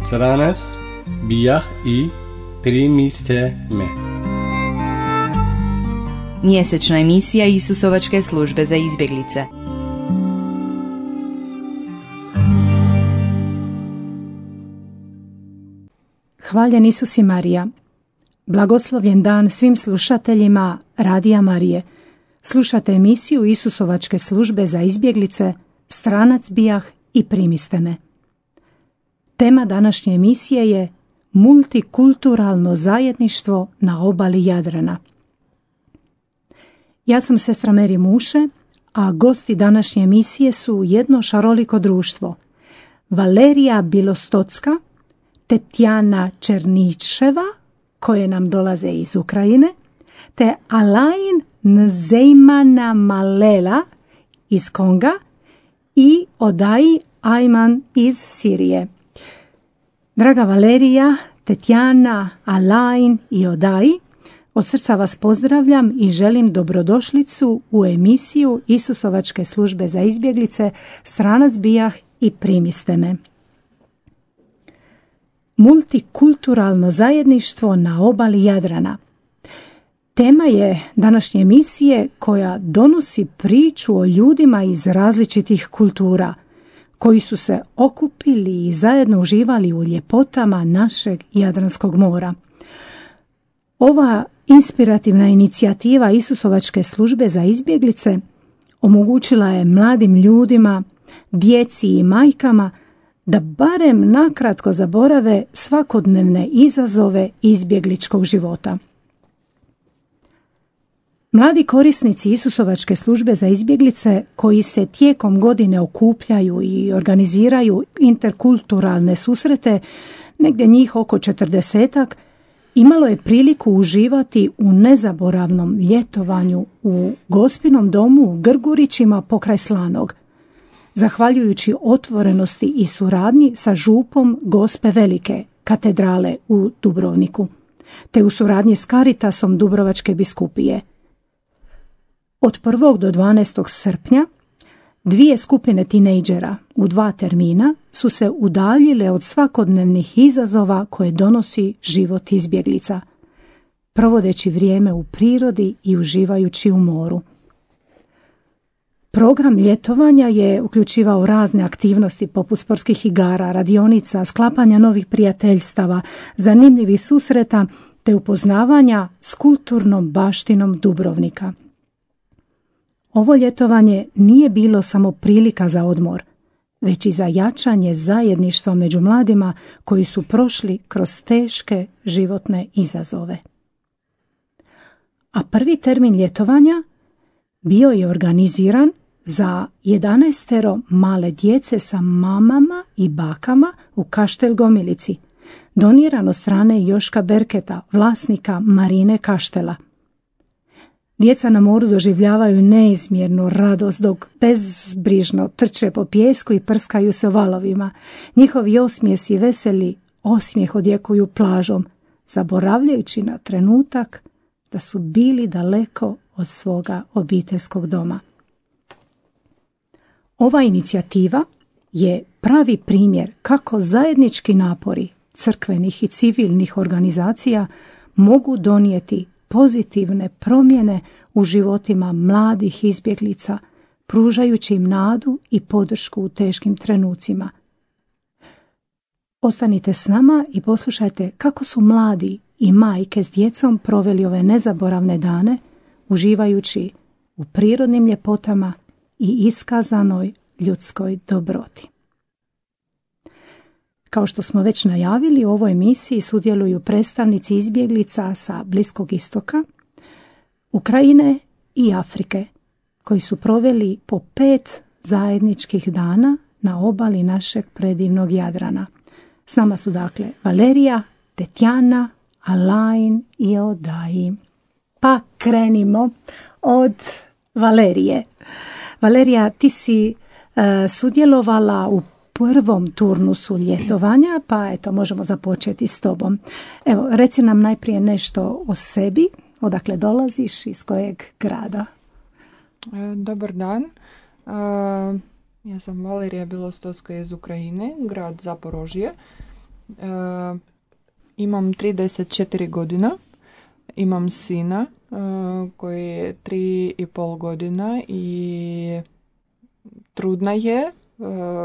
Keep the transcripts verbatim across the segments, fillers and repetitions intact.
Stranac bijah i primiste me. Mjesečna emisija Isusovačke službe za izbjeglice. Hvaljen Isus i Marija. Blagoslovljen dan svim slušateljima Radija Marije. Slušate emisiju Isusovačke službe za izbjeglice, Stranac bijah i primiste me. Tema današnje emisije je multikulturalno zajedništvo na obali Jadrana. Ja sam sestra Meri Muše, a gosti današnje emisije su jedno šaroliko društvo. Valerija Bilostocka, Tetjana Černičeva, koje nam dolaze iz Ukrajine, te Alain Nzeimana Malela iz Konga i Odai Ajman iz Sirije. Draga Valerija, Tetjana, Alain i Odai, od srca vas pozdravljam i želim dobrodošlicu u emisiju Isusovačke službe za izbjeglice, Stranac bijah i primiste me. Multikulturalno zajedništvo na obali Jadrana. Tema je današnje emisije koja donosi priču o ljudima iz različitih kultura, koji su se okupili i zajedno uživali u ljepotama našeg Jadranskog mora. Ova inspirativna inicijativa Isusovačke službe za izbjeglice omogućila je mladim ljudima, djeci i majkama da barem nakratko zaborave svakodnevne izazove izbjegličkog života. Mladi korisnici Isusovačke službe za izbjeglice koji se tijekom godine okupljaju i organiziraju interkulturalne susrete, negdje njih oko četrdesetak, imalo je priliku uživati u nezaboravnom ljetovanju u Gospinom domu u Grgurićima pokraj Slanog, zahvaljujući otvorenosti i suradnji sa župom Gospe Velike katedrale u Dubrovniku, te u suradnji s Caritasom Dubrovačke biskupije. Od prvog do dvanaestog srpnja dvije skupine tinejdžera u dva termina su se udaljile od svakodnevnih izazova koje donosi život izbjeglica, provodeći vrijeme u prirodi i uživajući u moru. Program ljetovanja je uključivao razne aktivnosti poput sportskih igara, radionica, sklapanja novih prijateljstava, zanimljivih susreta te upoznavanja s kulturnom baštinom Dubrovnika. Ovo ljetovanje nije bilo samo prilika za odmor, već i za jačanje zajedništva među mladima koji su prošli kroz teške životne izazove. A prvi termin ljetovanja bio je organiziran za jedanaestero male djece sa mamama i bakama u Kaštel Gomilici, doniran od strane Joška Berketa, vlasnika Marine Kaštela. Djeca na moru doživljavaju neizmjernu radost dok bezbrižno trče po pijesku i prskaju se valovima. Njihovi osmijesi i veseli osmijeh odjekuju plažom, zaboravljajući na trenutak da su bili daleko od svoga obiteljskog doma. Ova inicijativa je pravi primjer kako zajednički napori crkvenih i civilnih organizacija mogu donijeti pozitivne promjene u životima mladih izbjeglica, pružajući im nadu i podršku u teškim trenucima. Ostanite s nama i poslušajte kako su mladi i majke s djecom proveli ove nezaboravne dane, uživajući u prirodnim ljepotama i iskazanoj ljudskoj dobroti. Kao što smo već najavili, u ovoj emisiji sudjeluju predstavnici izbjeglica sa Bliskog istoka, Ukrajine i Afrike, koji su proveli po pet zajedničkih dana na obali našeg predivnog Jadrana. S nama su dakle Valerija, Tetjana, Alain i Odai. Pa krenimo od Valerije. Valerija, ti si uh, sudjelovala u prvom turnusu ljetovanja, pa eto, možemo započeti s tobom. Evo, reci nam najprije nešto o sebi, Odakle dolaziš, iz kojeg grada? Dobar dan. Ja sam Valerija Bilostovska iz Ukrajine, grad Zaporožje. Imam trideset četiri godina. Imam sina koji je tri i pol godina i trudna je.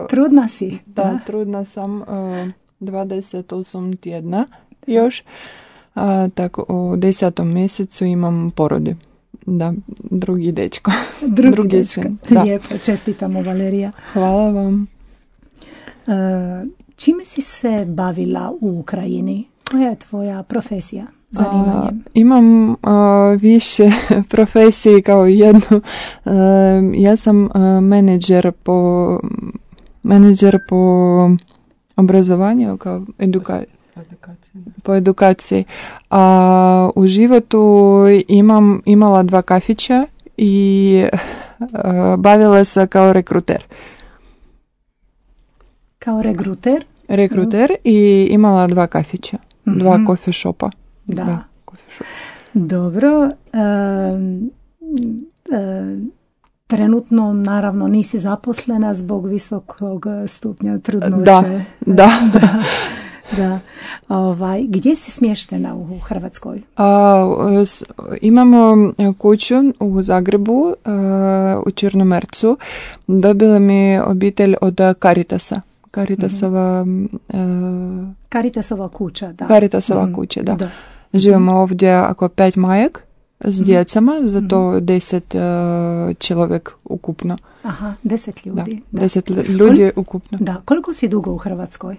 Trudna si? Da, da. Trudna sam dvadeset osam tjedna još. A, tako u desetom mjesecu imam porodi. Da, drugi dečko. Drugi, drugi dečko. Lijepo, čestitamo Valerija. Hvala vam. E, čime si se bavila u Ukrajini? Koja je tvoja profesija, zanimanje? A, imam a, više profesiji kao jednu. A, ja sam a, menadžer po menadžer po obrazovanju, kao edukaciji. Po edukaciji. A u životu imam, imala dva kafića i a, bavila se kao rekruter. Kao rekruter? Rekruter mm. i imala dva kafića. Mm-hmm. Dva coffee shopa. Da. da coffee shop. Dobro. E, e, trenutno, naravno, nisi zaposlena zbog visokog stupnja trudnoće. Da, da. da. Da. Ovaj, gdje si smještena u Hrvatskoj? A, s, imamo kuću u Zagrebu, a, u Črnomercu. Dobila mi obitelj od Caritasa. Caritasova, mm-hmm. a, Caritasova kuća, da. Caritasova mm-hmm. kuća, da. da. Živimo mm-hmm. ovdje ako pet majak s mm-hmm. djecama, zato mm-hmm. deset uh, čovjek ukupno. Aha, deset ljudi. Da, da. Deset ljudi Kol- ukupno. Da, koliko si dugo u Hrvatskoj?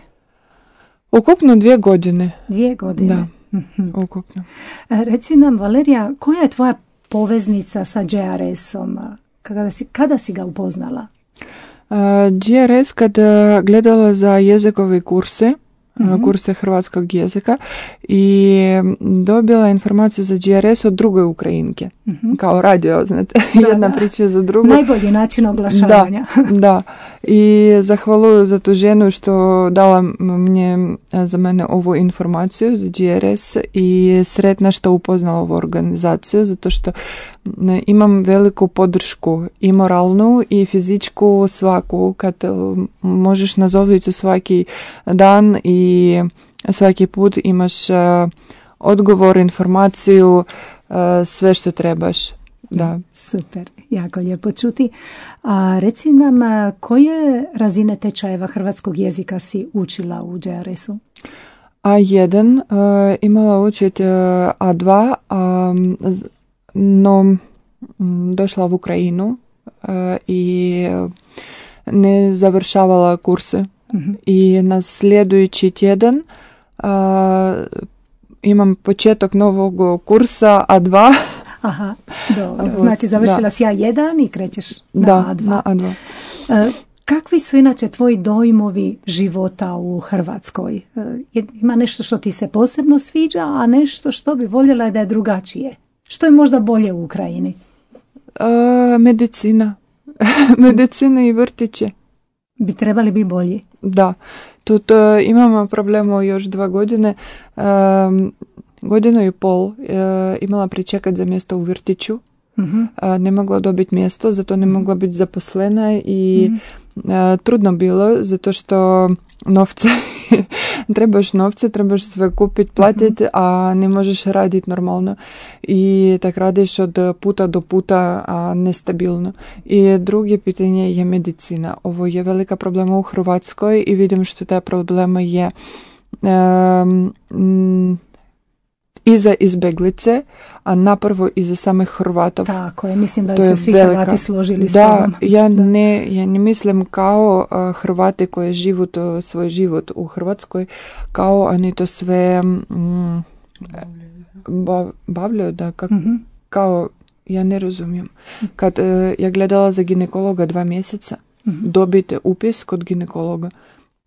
Ukupno dvije godine. Dvije godine. Da, mm-hmm. ukupno. Reci nam, Valerija, koja je tvoja poveznica sa G R S-om? Kada si, kada si ga upoznala? Uh, G R S kada gledala za jezikove kurse, mm-hmm. kurse hrvatskog jezika i dobila informaciju za G R S od druge Ukrajinke. Mm-hmm. Kao radio, znate, da, jedna da. priča za drugu. Najbolji način oglašavanja. Da, da. I zahvaluju za tu ženu što dala mnje za mene ovu informaciju za G R S i sretna što upoznala ovu organizaciju, zato što imam veliku podršku i moralnu i fizičku svaku, kad možeš nazoviti svaki dan i svaki put imaš uh, odgovor, informaciju, uh, sve što trebaš. Da. Super, jako lijepo čuti. A reci nam, koje razine tečajeva hrvatskog jezika si učila u G R S-u? A jedan, uh, imala učiti uh, A dva, um, no um, došla u Ukrajinu uh, i ne završavala kurse. Mm-hmm. I na sljedeći tjedan uh, imam početak novog kursa A dva. Aha, dobro. Znači završila da. si A jedan i krećeš na da, A dva. Na A dva. Uh, kakvi su inače tvoji dojmovi života u Hrvatskoj? Uh, ima nešto što ti se posebno sviđa, a nešto što bi voljela da je drugačije? Što je možda bolje u Ukrajini? Uh, medicina. Medicina i vrtiće. Bi trebali biti bolji? Da. Тут uh, imamo problemu još dva godine. Um, godinu i pol uh, imala pričekati za mjesto u vrtiću. Uh-huh. Uh, ne mogla dobiti mjesto, zato ne mogla biti zaposlena i uh-huh. uh, trudno bilo, zato što novce, trebaš novce, trebaš sve kupiti, platiti, uh-huh. a ne možeš raditi normalno. I tak radiš od puta do puta, a nestabilno. I drugo pitanje je medicina. Ovo je velika problema u Hrvatskoj i vidim što ta problema je um, m, i za izbeglice, a napravo i za samih Hrvatov. Tako je, mislim da se svi velika. Hrvati složili s da, tobom. Ja da, ne, ja ne mislim kao uh, Hrvati koji živu to, svoj život u Hrvatskoj, kao oni to sve mm, ba, bavljaju, da, kak, mm-hmm. kao, ja ne razumijem. Kad uh, ja gledala za ginekologa dva mjeseca, mm-hmm. dobite upis kod ginekologa.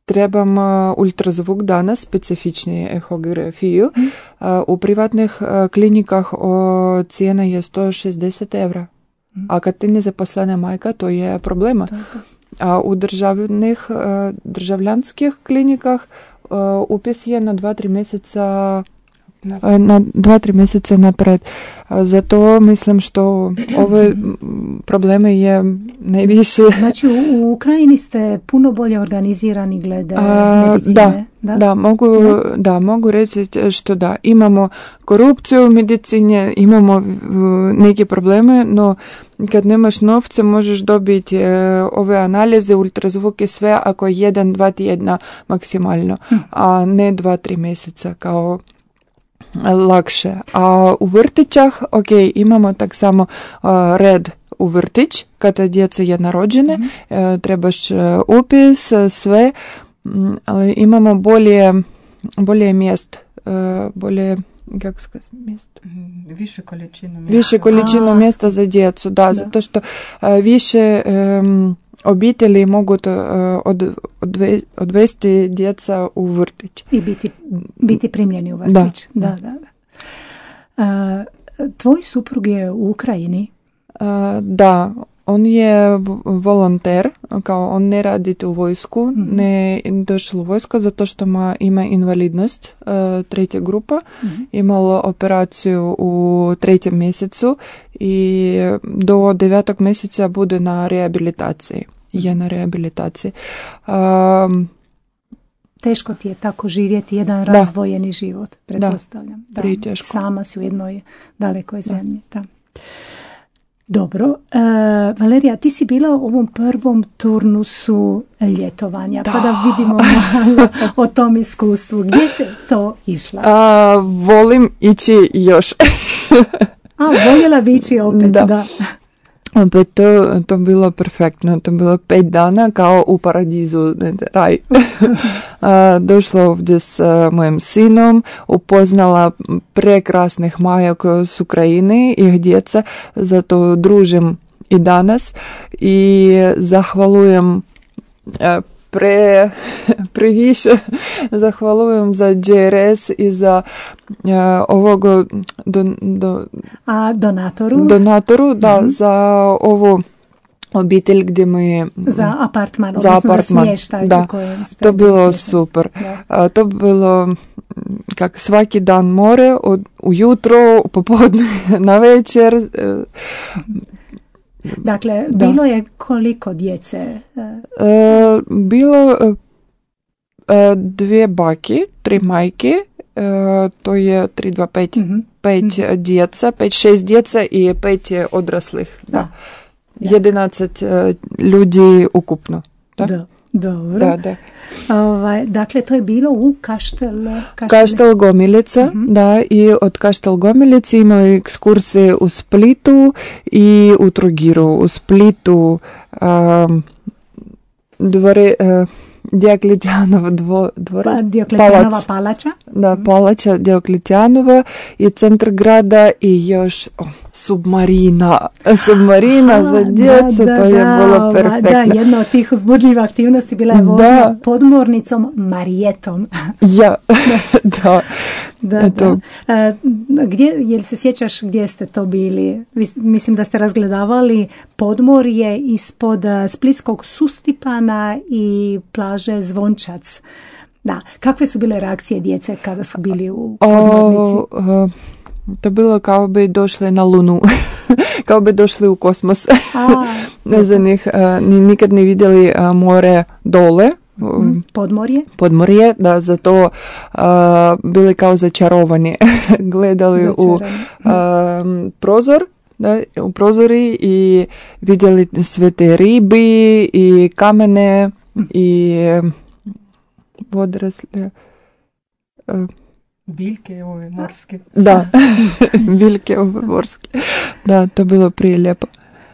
Trebam uh, ultrazvuk danas, specifični ehografiju. Mm. Uh, u privatnih uh, klinikah uh, cijena je sto šezdeset evra. Mm. A kad ti nezaposlena majka, to je problema. Tako. A u državnih, uh, državljanskih klinikah uh, upis je na dva, tri mjeseca na dva, tri mjeseca napred. Zato mislim što ove probleme je najviše. Znači u, u Ukrajini ste puno bolje organizirani glede A, medicine. Da, da? Da, mogu, ja. da, mogu reći što da. Imamo korupciju u medicini, imamo neke probleme, no kad nemaš novce možeš dobiti ove analize, ultrazvuk i sve ako je jedan, dva tjedna maksimalno, hm. a ne dva, tri mjeseca kao lakše. A u vrtićah, ok, imamo tak samo uh, red u vrtić, kada djeca je narođene, mm-hmm. uh, trebaš uh, upis, uh, sve, um, ali imamo bolje, bolje mjest, uh, bolje, kako сказать, mjesto? Više količinu mjesta. Više količinu mjesta za djecu, da, da. Zato što uh, više um, obitelji mogu uh, od, odve, odvesti djeca u vrtić. I biti, biti primljeni u vrtić. Da, da, da. da. Uh, tvoj suprug je u Ukrajini? Uh, da, on je volonter, kao on ne radi u vojsku, mm-hmm. ne došao u vojsku zato što ma, ima invalidnost, uh, treća grupa, mm-hmm. imalo operaciju u trećem mjesecu i do devetog mjeseca bude na rehabilitaciji. Je na rehabilitaciji. Um, Teško ti je tako živjeti jedan da. razdvojeni život, pretpostavljam. Da, da. Teško. Sama si u jednoj dalekoj zemlji. Da. Dobro. Uh, Valerija, ti si bila u ovom prvom turnusu ljetovanja, da. pa da vidimo malo o tom iskustvu. Gdje se to išla? A, volim ići još. A, voljela bi ići opet, da. da. Opet to, to bilo perfektno, to bilo pet dana kao u paradizu, raj. Došla ovdje s mojim sinom, upoznala prekrasnih maja koje su Ukrajini i djeca, zato družim i danas i zahvalujem pre, previše zahvalujem za J R S i za uh, ovog do, do, A donatoru? Donatoru, da, mm-hmm. za ovu obitelj gdje mi... Za apartman, za odnosno apartman, za smještaj. Da, to bilo smještaj. Super. Uh, to bilo kak svaki dan more, od, ujutro, popodne, na večer. Uh, Dakle, da. bilo je koliko djece? E, bilo e, dvije baki, tri majke, e, to je tri, dva, pet, mm-hmm. pet mm-hmm. djeca, pet, šest djeca i pet odraslih. Da. Da. Jedanaest e, ljudi ukupno. Da. Da. Dobro. Da, da. Ovaj, dakle, to je bilo u Kaštel... Kaštel, Kaštel Gomilica, uh-huh. da, i od Kaštel Gomilice imali ekskursije u Splitu i u Trogiru. U Splitu um, dvore... Uh, Dioklecijanova dvo, dvora, pa, Dioklecijanova palac. palača. Da, palača Dioklecijanova i centar grada i još oh, submarina. Submarina Aha, za djecu, da, to da, je da, bilo perfektno. Da, jedna od tih uzbudljivih aktivnosti bila je vožnja podmornicom Marijetom. Ja, da. Da, da. A, gdje, jel se sjećaš gdje ste to bili? Mislim da ste razgledavali podmorje ispod Splitskog Sustipana i plaže Zvončac. Da, kakve su bile reakcije djece kada su bili u podmornici? O, o, to bilo kao bi došli na Lunu, kao bi došli u kosmos. A, ne za njih, nikad ne vidjeli more dole. Podmorje? Podmorje, da, zato uh, bili kao začarovani. Gledali začarani. u uh, prozor, da, u prozori i vidjeli sve te ribi i kamene i odrasle. Uh, biljke ove morske. Da, biljke ove morske. Da, to bilo prije lijepo.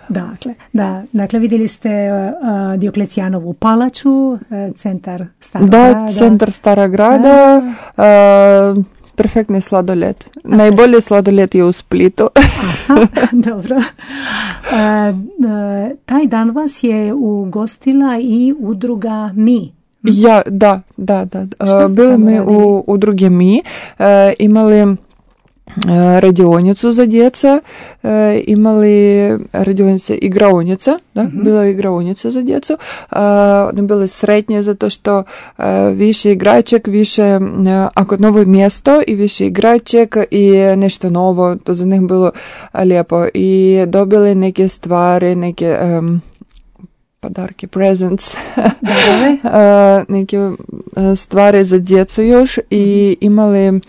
Dakle, da, dakle vidjeli ste uh, Dioklecijanovu palaču, uh, centar Starog da, grada. Da, centar Starog grada, uh, perfektni sladoled. Okay. Najbolji sladoled je u Splitu. Aha, dobro. Uh, uh, taj dan vas je ugostila i udruga Mi. Ja, da, da, da. Uh, bili mi u udruge Mi, uh, imali radionicu za djeca, e, imali radionice igraonica, da, mm-hmm. bila je igraonica za djecu, e, one bile sretnje zato što e, više igraček, više, e, ako novo mjesto i više igraček i nešto novo, to za njih bilo lijepo i dobili neke stvari, neke um, podarke, presents, e, neke stvari za djecu još i imali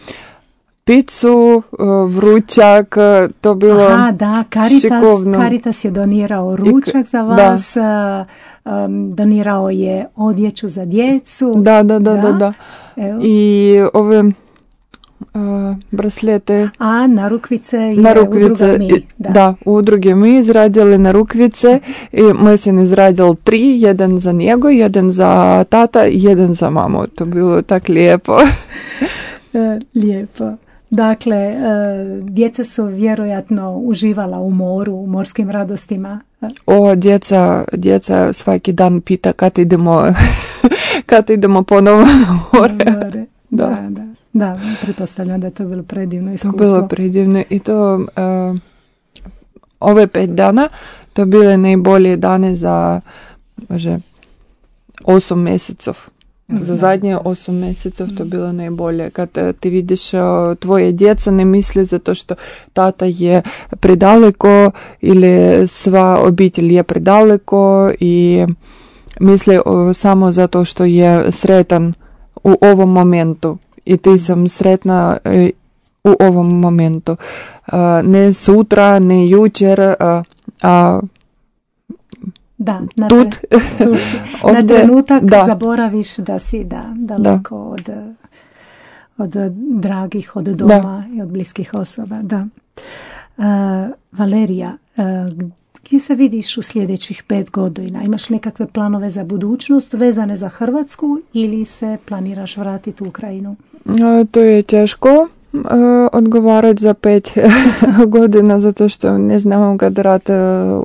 picu, vrućak, to bilo Aha, da, Caritas, šikovno. Caritas je donirao ručak za vas, um, donirao je odjeću za djecu. Da, da, da, da, da. Evo. I ove uh, braslete. A narukvice je narukvice, udruga Mi. Da. da, udruge Mi izradili narukvice i mi sam izradili tri, jedan za njego, jedan za tata i jedan za mamu. To bilo tako lijepo. Lijepo. Dakle, djeca su vjerojatno uživala u moru, u morskim radostima. O, djeca, djeca svaki dan pita kad idemo, kad idemo ponovo na more. more. Da. Da, da. Da, pretpostavljam da je to bilo predivno iskustvo. To bilo predivno i to uh, ove pet dana, to bile najbolje dane za može, osam mjesecov. Za zadnje osam mjesecov to bilo najbolje. Kad ti vidiš tvoje djeca ne misli zato što tata je predaleko ili sva obitelj je predaleko i misli samo zato što je sretan u ovom momentu. I ti sam sretna u ovom momentu. Ne sutra, ne jučer, a, a Da, na, Tut. tre, tu si. Ovdje, na trenutak da. zaboraviš da si da, daleko da. Od, od dragih, od doma da. I od bliskih osoba. Da. Uh, Valerija, uh, gdje se vidiš u sljedećih pet godina? Imaš nekakve planove za budućnost vezane za Hrvatsku ili se planiraš vratiti u Ukrajinu? To je teško uh, odgovarati za pet godina zato što ne znamo kad rat uh,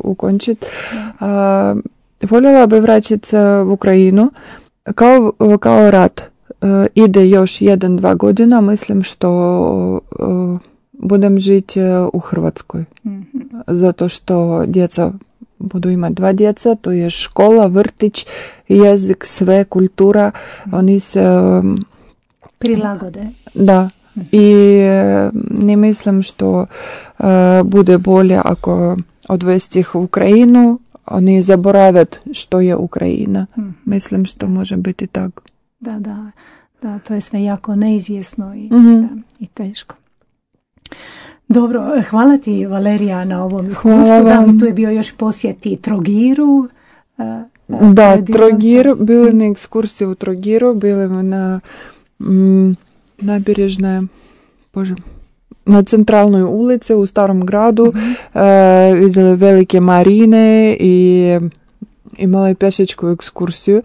ukončiti. Uh, voljela bi vraćati u Ukrajinu. Kao, kao rat uh, ide još jedan, dva godina, mislim što uh, budem žiti u Hrvatskoj. Mm-hmm. Zato što djeca budu imati dva djeca, to je škola, vrtić, jezik, sve, kultura. Mm-hmm. Oni se um, prilagode. Da. I ne mislim što uh, bude bolje ako odvesti ih u Ukrajinu, oni zaboravят što je Ukrajina. Mm. Mislim što može biti tako. Da, da, da, to je sve jako neizvjesno i, mm-hmm. da, i teško. Dobro, hvala ti Valerija na ovom iskustvu. Da, tu je bio još posjeti Trogiru. Uh, da, Trogir, bili na ekskursiji u Trogiru, bili na mm, nabježnoj, bože, na centralnoj ulici u starom gradu, mm-hmm. uh, vidjeli velike marine i imala je pješačku ekskursiju.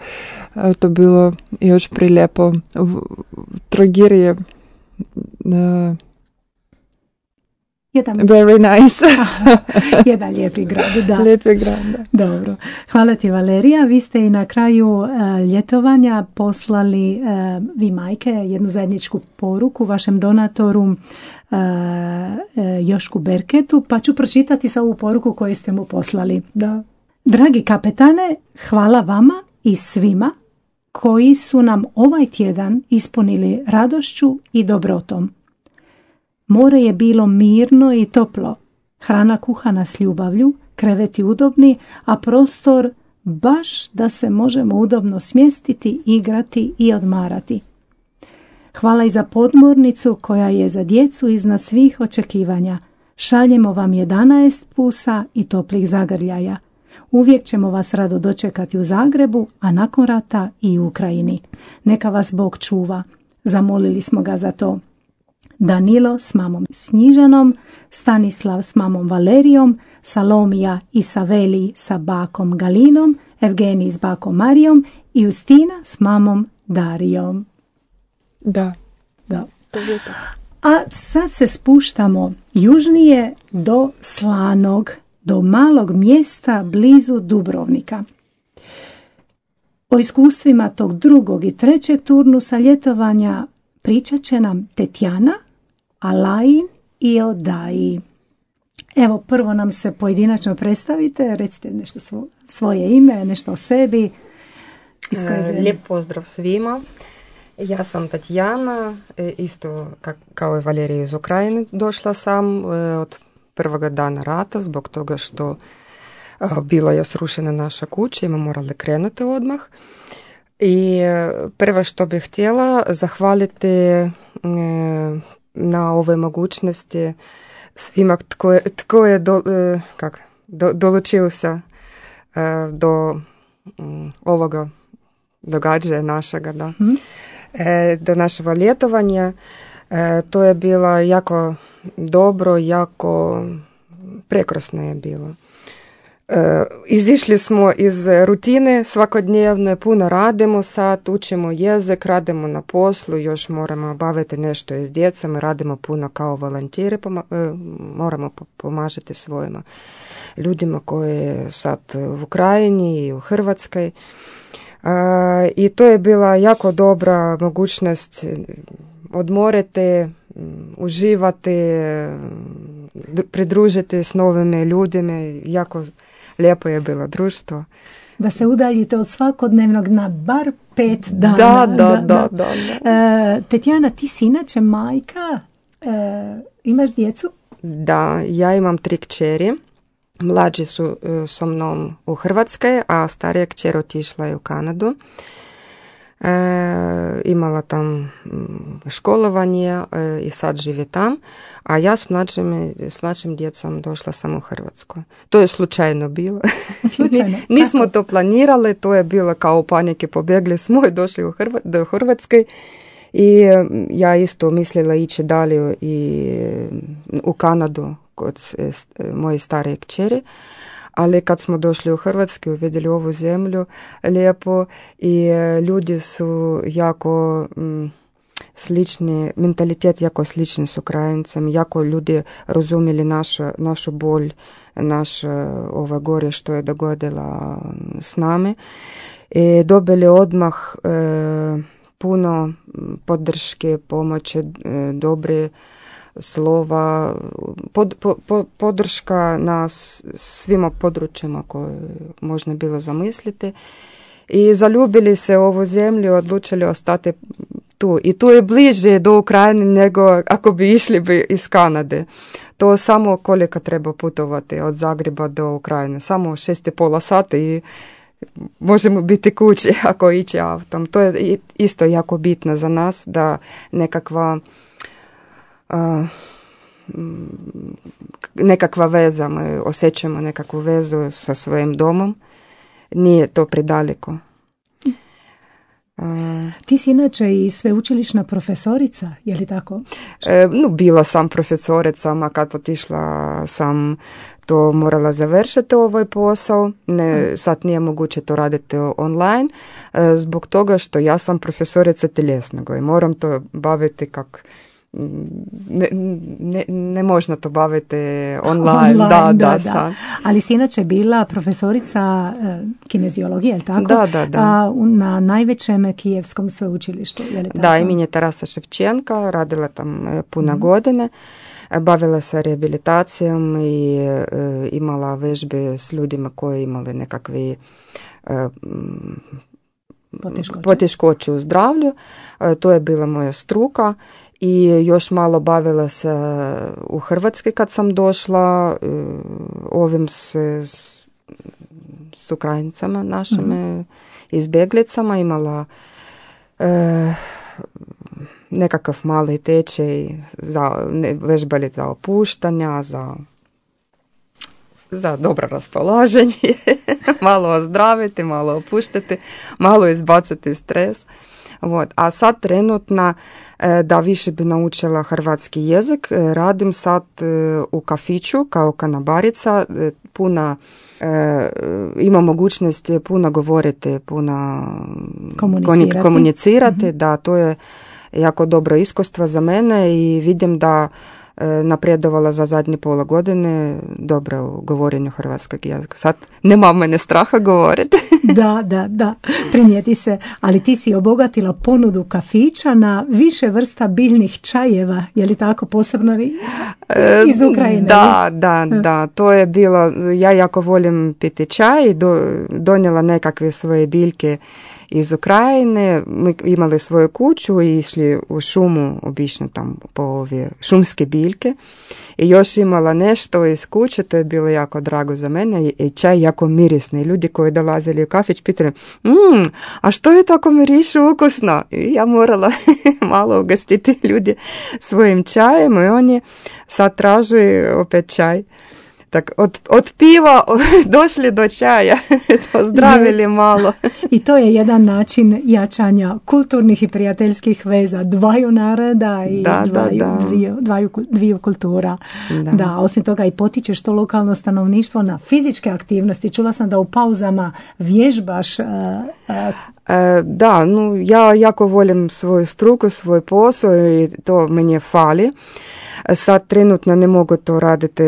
Uh, to bilo još prilijepo. Trogir je uh, Jedan, very nice. jedan lijepi grad, da. Lijepi grad, da. Dobro. Hvala ti Valerija. Vi ste i na kraju uh, ljetovanja poslali uh, vi majke jednu zajedničku poruku vašem donatoru uh, uh, Jošku Berketu, pa ću pročitati sa ovu poruku koju ste mu poslali. Da. Dragi kapetane, hvala vama i svima koji su nam ovaj tjedan ispunili radošću i dobrotom. More je bilo mirno i toplo, hrana kuhana s ljubavlju, kreveti udobni, a prostor baš da se možemo udobno smjestiti, igrati i odmarati. Hvala i za podmornicu koja je za djecu iznad svih očekivanja. Šaljemo vam jedanaest pusa i toplih zagrljaja. Uvijek ćemo vas rado dočekati u Zagrebu, a nakon rata i u Ukrajini. Neka vas Bog čuva. Zamolili smo ga za to. Danilo s mamom Snjižanom, Stanislav s mamom Valerijom, Salomija i Saveli sa bakom Galinom, Evgenij s bakom Marijom i Justina s mamom Darijom. Da. Da. A sad se spuštamo južnije do Slanog, do malog mjesta blizu Dubrovnika. O iskustvima tog drugog i trećeg turnusa ljetovanja pričat će nam Tetjana, Alajin i Odaji. Evo, prvo nam se pojedinačno predstavite, recite nešto svo, svoje ime, nešto o sebi. Lijep pozdrav svima. Ja sam Tatjana, isto kao i Valerija iz Ukrajine došla sam od prvoga dana rata zbog toga što bila je srušena naša kuća i smo morali krenuti odmah. I prvo što bih htjela zahvaliti na ove mogućnosti svima tko je, tko je do, kak, do, dolučio se do ovoga događaja našega, da. Mm. E, do našega ljetovanja. E, to je bilo jako dobro, jako prekrasno je bilo. E, izišli smo iz rutine svakodnevne, puno radimo sad, učimo jezik, radimo na poslu, još moramo baviti nešto s djecom, radimo puno kao volontiri, poma- e, moramo pomažiti svojima ljudima koji sad u Ukrajini i u Hrvatskoj. Uh, i to je bila jako dobra mogućnost odmoriti, uživati, pridružiti s novim ljudima. Jako lijepo je bilo društvo. Da se udaljite od svakodnevnog na bar pet dana. Da, da, da. da, da. Uh, Tetjana, ti si inače majka, uh, imaš djecu? Da, ja imam tri kćeri. Mlađi su sa mnom u Hrvatskoj, a starija kćer otišla je u Kanadu. E, imala tam školovanje e, i sad živi tam, a ja s mlađim, s mlađim djecom došla sam u Hrvatsku. To je slučajno bilo. Slučajno? Nismo to planirali, to je bilo kao u panike, pobjegli smo i došli u Hrva, do Hrvatske. I ja isto mislila ići dalje i u Kanadu kod moje starije kćeri, ali kad smo došli u Hrvatsku uvidjeli ovu zemlju lijepo i ljudi su jako m, slični, mentalitet jako slični s Ukrajincem, jako ljudi razumjeli našu, našu bolj, naše ove gore što je dogodila s nami i dobili odmah e, puno podrške, pomoći, dobre slova, pod, po, po, podrška na svima područjima koje možda bilo zamisliti. I zaljubili se u ovu zemlju, odlučili ostati tu. I tu je bliže do Ukrajine nego ako bi išli bi iz Kanade. To samo koliko treba putovati od Zagreba do Ukrajine. Samo šest i pola sata i možemo biti kući ako ići autom. To je isto jako bitno za nas da nekakva uh, nekakva veza, mi osjećamo nekakvu vezu sa svojim domom. Nije to predaleko. Uh, Ti si inače i sveučilišna profesorica, je li tako? E, no, bila sam profesorica, a kad otišla sam to morala završiti ovaj posao. Ne, sad nije moguće to raditi online, e, zbog toga što ja sam profesorica tjelesnog i moram to baviti kako Ne, ne, ne možno to baviti online, online da, da, da, da. Ali si inače bila profesorica e, kineziologije, je li tako? Da, da, da. A, na najvećem kijevskom sveučilištu, je li tako? Da, imeni Tarasa Ševčenka, radila tam e, puno mm. godine, bavila se rehabilitacijom i e, imala vežbe s ljudima koji imali nekakve e, poteškoće. poteškoće u zdravlju. E, to je bila moja struka. I još malo bavila se u Hrvatskoj kad sam došla ovim s, s, s Ukrajincama našim mm-hmm. izbjeglicama. Imala e, nekakav mali tečaj, za, ne, vežbali za opuštanja, za, za dobro raspoloženje, malo ozdraviti, malo opuštati, malo izbaciti stres. Вот. A sad trenutno da više bi naučila hrvatski jezik, radim sad u kafiću kao kanabarica, puno ima mogućnost puno govoriti, puno komunicirati, komunicirati. Mm-hmm. Da, to je jako dobro iskustvo za mene i vidim da napredovala za zadnje pola godine, dobro u govorenju hrvatskog jezika. Sad nema mene straha govoriti. Da, da, da, primijeti se. Ali ti si obogatila ponudu kafića na više vrsta biljnih čajeva, je li tako, posebno iz Ukrajine? Da, da, da, to je bilo, ja jako volim piti čaj, do, donijela nekakve svoje biljke iz Ukrajine, mi imali svoju kuću i išli u šumu, obično tam po ove šumske biljke i još imala nešto iz kuće, to je bilo jako drago za mene i čaj jako mirisni. Ljudi koji dolazili u kafić pitali, mmm, a što je tako miriše ukusno? I ja morala malo ugostiti ljudi svojim čajem i oni sad traže opet čaj. Tak, od, od piva došli do čaja, pozdravili malo. I to je jedan način jačanja kulturnih i prijateljskih veza dvaju naroda i da, dvaju, da, da. Dviju, dvaju, dviju kultura. Da. da, osim toga i potičeš to lokalno stanovništvo na fizičke aktivnosti. Čula sam da u pauzama vježbaš. Uh, uh, e, da, no, ja jako volim svoju struku, svoj posao i to meni fali. Sad trenutno ne mogu to raditi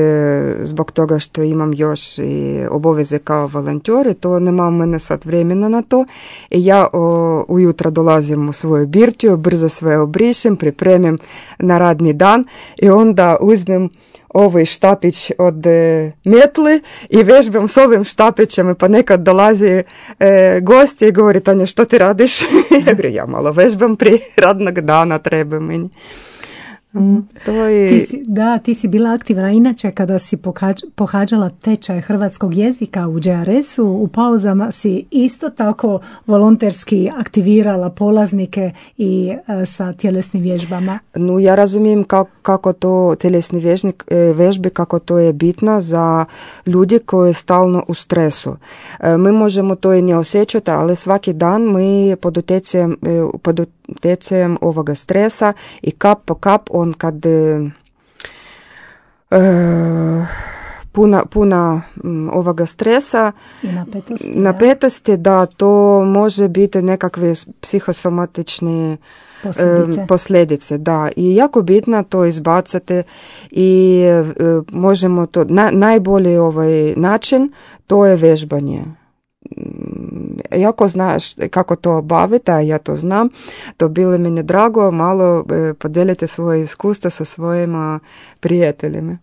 zbog toga što imam još i obaveze kao volonter i to nema mene sad vremena na to. I ja o, ujutro dolazim u svoju birtiju, brzo sve obrišem, pripremim na radni dan i onda uzmem ovaj štapić od e, metli i vežbam s ovim štapićem, pa nekad dolazi e, gosti i govori, Tanja, što ti radiš? Ja govorim, ja malo vežbam prije radnog dana, treba meni. Mm. To je... ti si, da, ti si bila aktivna inače kada si pohađ, pohađala tečaj hrvatskog jezika u Đ R S-u, u pauzama si isto tako volonterski aktivirala polaznike i e, sa tjelesnim vježbama. No, ja razumijem kako, kako to tjelesni vježnik, vježbe, kako to je bitno za ljudi koji je stalno u stresu. E, mi možemo to i ne osjećati, ali svaki dan mi pod utjecajem, pod utjecajem ovoga stresa i kap po kap on kad e, puna, puna ovoga stresa i napetosti, napetosti da to može biti nekakve psihosomatične posljedice. posljedice da. I jako bitno to izbacati i e, možemo to, na, najbolji ovaj način to je vežbanje. Jako znaš kako to obaviti, a ja to znam, to bilo meni drago malo e, podijeliti svoje iskustva sa svojima prijateljima.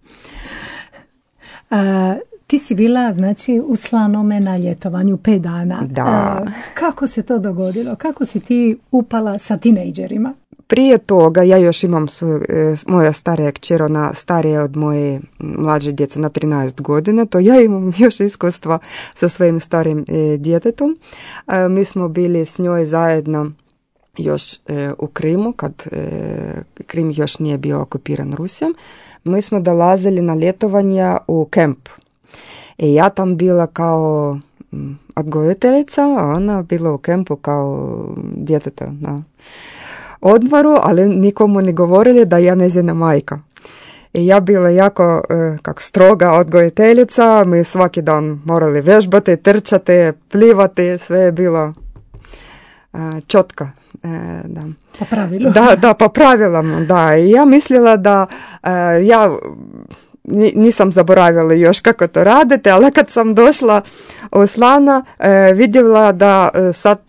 A, ti si bila, znači, u Slanome na ljetovanju pet dana. Da. A, kako se to dogodilo? Kako si ti upala sa tinejdžerima? Prije toga ja još imam svoju, moja starija kćer, ona starija od moje mlađe djece na trinaest godina, to ja imam još iskustva sa svojim starim e, djetetom. E, mi smo bili s njoj zajedno još e, u Krimu, kad e, Krim još nije bio okupiran Rusijom. Mi smo dolazili na ljetovanja u kemp. I ja tam bila kao odgojiteljica, a ona bila u kempu kao djeteta na odmoru, ali nikomu ne govorili da ja njezina majka. I ja bila jako e, kak stroga odgojiteljica, mi svaki dan morali vežbati, trčati, plivati, sve je bilo e, čotka. E, da. Po pravilu. Da, da, po pravilama, da. I ja mislila da e, ja nisam zaboravila još kako to radite, ali kad sam došla u Slana, e, vidjela da e, sad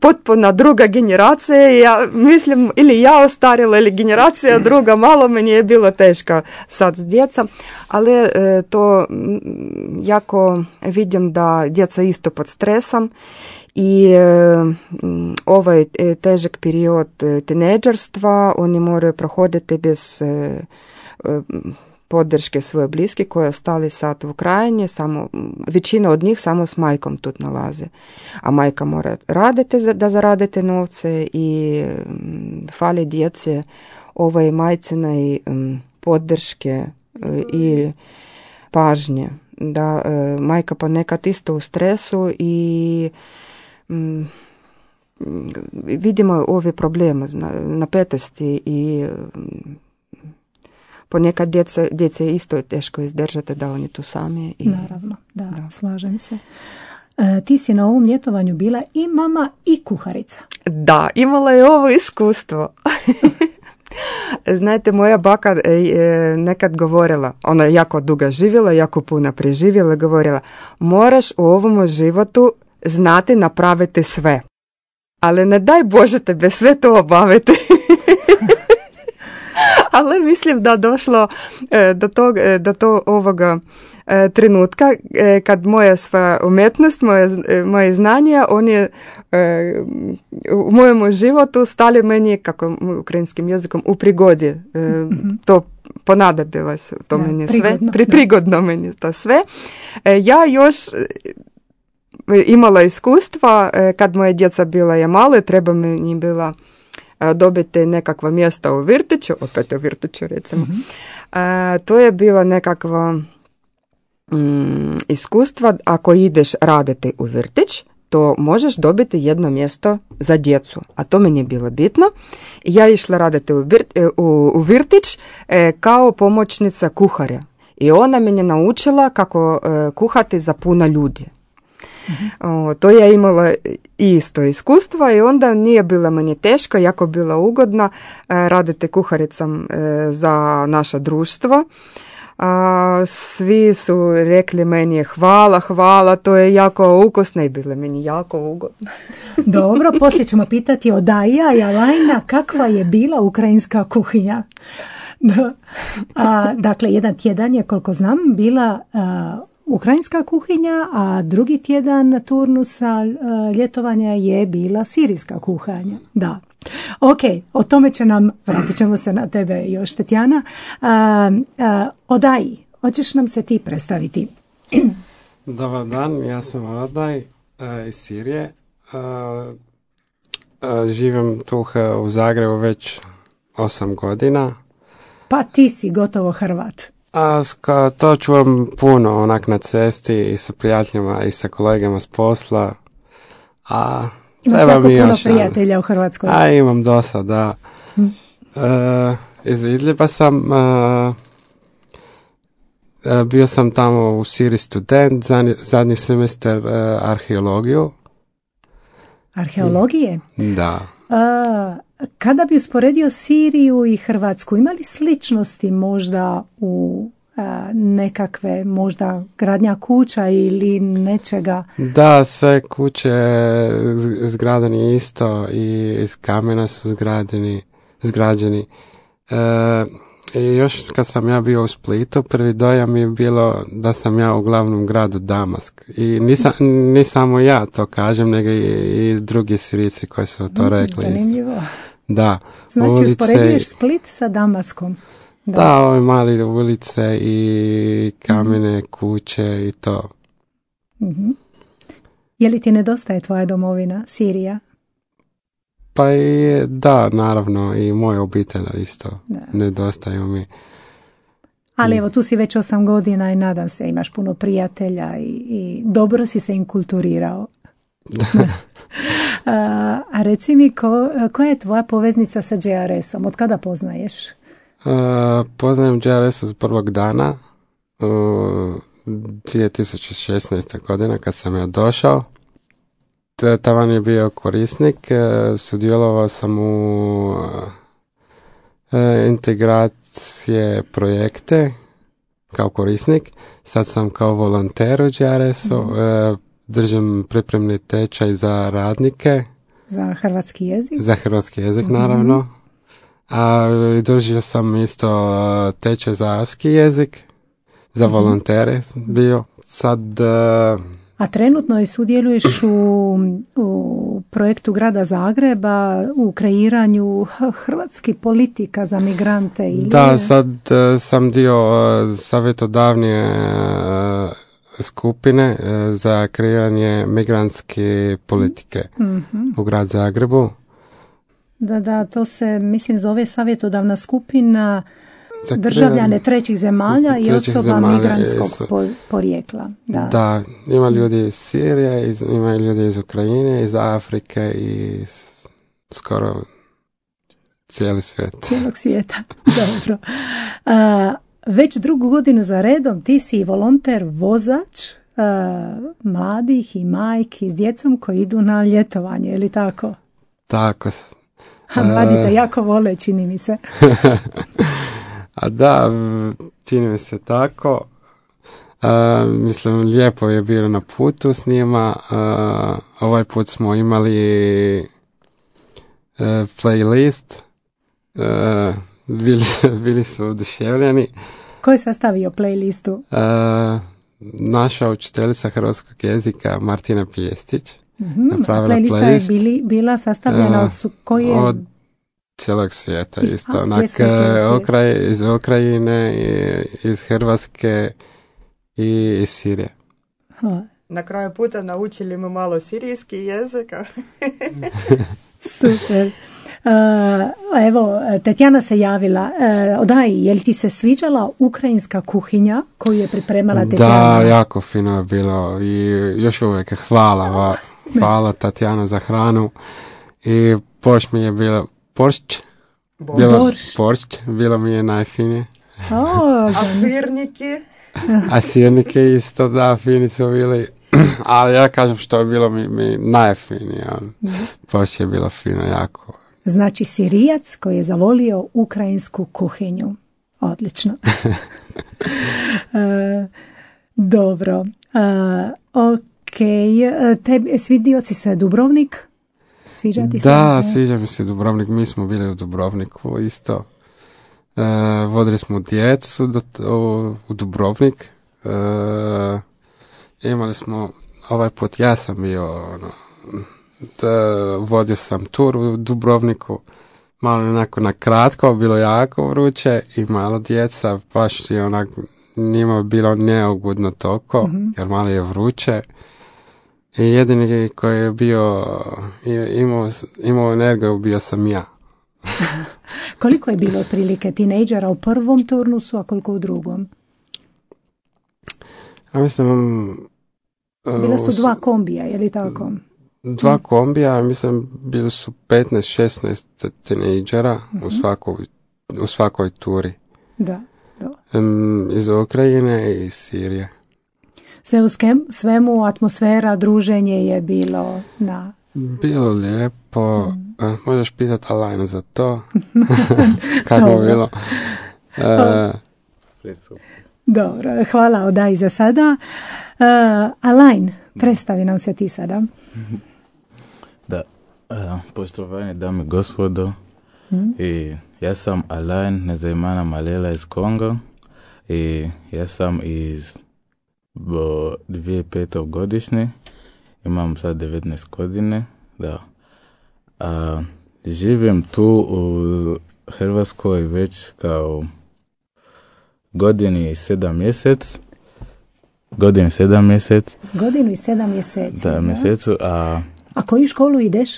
potpuno druga generacija, ja mislim, ili ja ostarila, ili generacija druga, malo meni je bilo teško sad s djecom, ali e, to jako vidim da djeca isto pod stresom i e, ovaj težak period tinejdžerstva oni moraju prohoditi bez e, e, podrške svoje bliske koje ostali sad u Ukrajini, samo, većina od njih samo s majkom tu nalaze. A majka mora raditi da zaradite novce i um, fali djece ovaj majcina i um, podrške uh, i pažnje. Da, uh, majka ponekad isto u stresu i um, vidimo ove probleme, napetosti i um, ponekad djeca, djece isto je teško izdržati da oni tu sami. I, naravno, da, da, slažem se. E, ti si na ovom ljetovanju bila i mama i kuharica. Da, imala je ovo iskustvo. Znate, moja baka je nekad govorila, ona je jako dugo živjela, jako puno preživjela, govorila, moraš u ovom životu znati napraviti sve. Ali ne daj Bože tebe sve to obaviti. Ali mislim da došlo do tog, do to ovoga trenutka kad moja sva umjetnost, moje, moje znanja, oni u mojem životu stali meni, kako ukrajinskim jezikom, u prigodi. Mm-hmm. To ponadobilo se to da, meni prigodno, sve. Pri, prigodno meni to sve. Ja još imala iskustva kad moja djeca bila je male, treba mi bila dobiti nekakva mjesta u vrtiću, opet u vrtiću recimo. Mm-hmm. A, to je bila nekakva mm, iskustva, ako ideš raditi u vrtić, to možeš dobiti jedno mjesto za djecu, a to meni je bilo bitno. Ja išla raditi u, vir, u, u vrtić e, kao pomoćnica kuharja i ona mene naučila kako e, kuhati za puno ljudi. Mm-hmm. O, to je imala isto iskustva i onda nije bilo meni teško, jako bila ugodna e, raditi kuharicom e, za naše društvo. A, svi su rekli meni hvala, hvala, to je jako ukusno i bilo meni jako ugodno. Dobro, poslije ćemo pitati od Aija i Alajna kakva je bila ukrajinska kuhinja. A, dakle, jedan tjedan je, koliko znam, bila a, ukrajinska kuhinja, a drugi tjedan turnusa ljetovanja je bila sirijska kuhanja. Da. Ok, o tome će nam, vratit ćemo se na tebe još, Tetjana. A, a, Odaj, hoćeš nam se ti predstaviti? Dobar dan, ja sam Odaj a, iz Sirije. A, a, živim tu u Zagrebu već osam godina. Pa ti si gotovo Hrvat. A ska, to čuvam puno onak na cesti i sa prijateljima i sa kolegama s posla. A imaš jako puno prijatelja u Hrvatskoj. A imam dosta, da. Hm. E, iz Idliba sam, e, bio sam tamo u Siriji student, zadnji, zadnji semestar e, arheologiju. Arheologije? Da. A, kada bi usporedio Siriju i Hrvatsku, ima li sličnosti možda u a, nekakve možda gradnja kuća ili nečega? Da, sve kuće zgradeni isto i iz kamena su zgradeni, zgrađeni. E, i još kad sam ja bio u Splitu, prvi dojam je bilo da sam ja u glavnom gradu Damask. I nisam, ni samo ja to kažem, nego i, i drugi Sirijci koji su to rekli. Zanimljivo. Isto. Da. Znači, ulice, uspoređuješ Split sa Damaskom. Da, da, ove mali ulice i kamene mm. kuće i to. Mm-hmm. Je li ti nedostaje tvoja domovina, Sirija? Pa i da, naravno, i moja obitelj isto. Da. Nedostaju mi. Ali evo, tu si već osam godina i nadam se imaš puno prijatelja i, i dobro si se inkulturirao. a, a reci mi, ko, koja je tvoja poveznica sa J R S-om? Od kada poznaješ? Uh, poznajem J R S od prvog dana, uh, dvije tisuće šesnaeste. godine kad sam ja došao. Tavan je bio korisnik, uh, sudjelovao sam u uh, integracije projekte kao korisnik. Sad sam kao volonter u J R S-u. Mm. Uh, držim pripremni tečaj za radnike. Za hrvatski jezik? Za hrvatski jezik, mm-hmm. naravno. A držio sam isto tečaj za arapski jezik. Za mm-hmm. volontere bio. Sad... Uh, A trenutno i sudjeluješ u, u projektu Grada Zagreba u kreiranju hrvatskih politika za migrante? Ili... Da, sad uh, sam dio uh, savjetodavne uh, skupine uh, za kreiranje migrantske politike mm-hmm. u Grad Zagrebu. Da, da, to se, mislim, zove savjetodavna skupina za državljane trećih zemalja trećih i osoba zemalja migrantskog su, porijekla. Da. da, ima ljudi iz Sirije, iz, ima ljudi iz Ukrajine, iz Afrike i iz, skoro cijeli svijet. Cijelog svijeta, dobro. A, već drugu godinu za redom ti si volonter, vozač a, mladih i majki s djecom koji idu na ljetovanje, je li tako? Tako. A mladi te jako vole, čini mi se. A da, čini mi se tako. Uh, mislim, lijepo je bilo na putu s njima. Uh, ovaj put smo imali uh, playlist. Uh, bili, bili su oduševljeni. Ko je sastavio playlistu? Uh, naša učiteljica hrvatskog jezika Martina Pijestić. Mm-hmm. Playlista playlist, je bili, bila sastavljena uh, od su, koje... Od cijelog svijeta iz, isto. A, onak, okraj, iz Ukrajine, iz Hrvatske i iz Sirije. Ha. Na kraju puta naučili mu malo sirijski jezik. Super. Uh, evo, Tatjana se javila. Uh, odaj, je li ti se sviđala ukrajinska kuhinja koju je pripremala Tatjana? Da, jako fino je bilo i još uvijek hvala, hvala Tatjana za hranu i poš mi je bilo, poršć, bilo, poršć, bilo mi je najfinije. Oh, a sirniki? A sirnike isto, da, fini su bili. Ali ja kažem što je bilo mi, mi najfinije. Poršć je bilo fino, jako. Znači Sirijac koji je zavolio ukrajinsku kuhinju. Odlično. uh, dobro. Uh, ok. Tebi, svidio si se Dubrovnik? Sviđa ti se? Da, sviđa mi se Dubrovnik. Mi smo bili u Dubrovniku isto. Uh, vodili smo djecu do, u, u Dubrovnik. Uh, imali smo ovaj put, ja sam bio ono, da, vodio sam tur u Dubrovniku, malo onako na kratko, bilo jako vruće i malo djeca, baš je onak, njima bilo neugodno toliko, mm-hmm. jer malo je vruće. I jedini koji je bio, imao, imao energiju, bio sam ja. Koliko je bilo otprilike tinejdžera u prvom turnusu, a koliko u drugom? Ja mislim... Bila su dva kombija, je li tako? Dva kombija, mislim, bili su petnaest šesnaest tinejdžera mm-hmm. u, svakoj, u svakoj turi. Da, da. Um, iz Ukrajine i iz Sirije. Sve u skem, svemu atmosfera, druženje je bilo na... Bilo lijepo. Mm. Uh, možeš pitati Alajnu za to. Kako je bilo? Uh, Dobro, hvala Odaj za sada. Uh, Alajn, predstavi nam se ti sada. Da, uh, poštovanje dame i gospodo, mm. i ja sam Alajn Nezaimana Malela iz Konga i ja sam iz dvije tisuće pete godišnje, imam sad devetnaest godine, da. A, živim tu u Hrvatskoj već kao godini i sedam mjesec. Godini sedam mjesec. Godinu i sedam mjeseci. Da, mjesecu. A, a koju školu ideš?